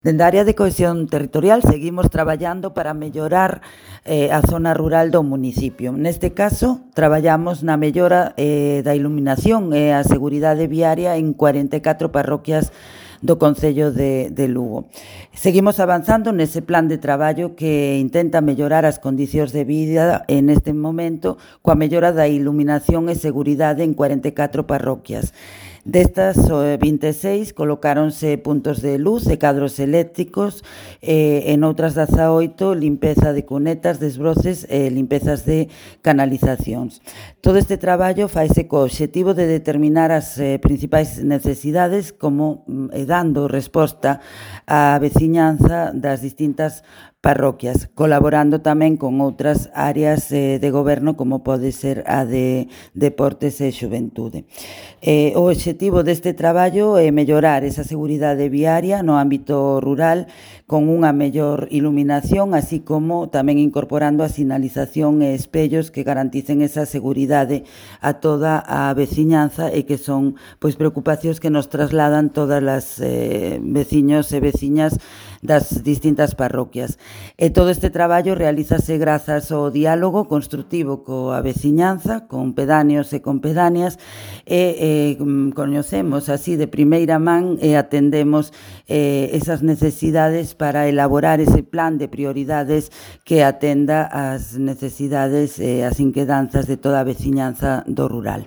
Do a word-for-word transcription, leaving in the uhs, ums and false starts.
Dende a área de cohesión territorial seguimos traballando para mellorar eh, a zona rural do municipio. Neste caso, traballamos na mellora eh, da iluminación e a seguridade viaria en cuarenta e catro parroquias do Concello de, de Lugo. Seguimos avanzando nese plan de traballo que intenta mellorar as condicións de vida en este momento coa mellora da iluminación e seguridade en cuarenta e catro parroquias. Destas vinte e seis colocáronse puntos de luz e cadros eléctricos, e en outras dezaoito limpeza de cunetas, desbroces e limpezas de canalizacións. Todo este traballo faise co obxectivo de determinar as eh, principais necesidades como e dando resposta á veciñanza das distintas parroquias, colaborando tamén con outras áreas eh, de goberno como pode ser a de deportes e xuventude. Eh, o obxectivo deste traballo é mellorar esa seguridade viaria no ámbito rural con unha mellor iluminación, así como tamén incorporando a sinalización e espellos que garanticen esa seguridade a toda a veciñanza e que son pois preocupacións que nos trasladan todas as eh, veciños e veciñas das distintas parroquias. E todo este traballo realízase grazas ao diálogo construtivo coa veciñanza, con pedáneos e con pedáneas, e eh, coñecemos así de primeira man e atendemos eh, esas necesidades para elaborar ese plan de prioridades que atenda as necesidades e as inquedanzas de toda a veciñanza do rural.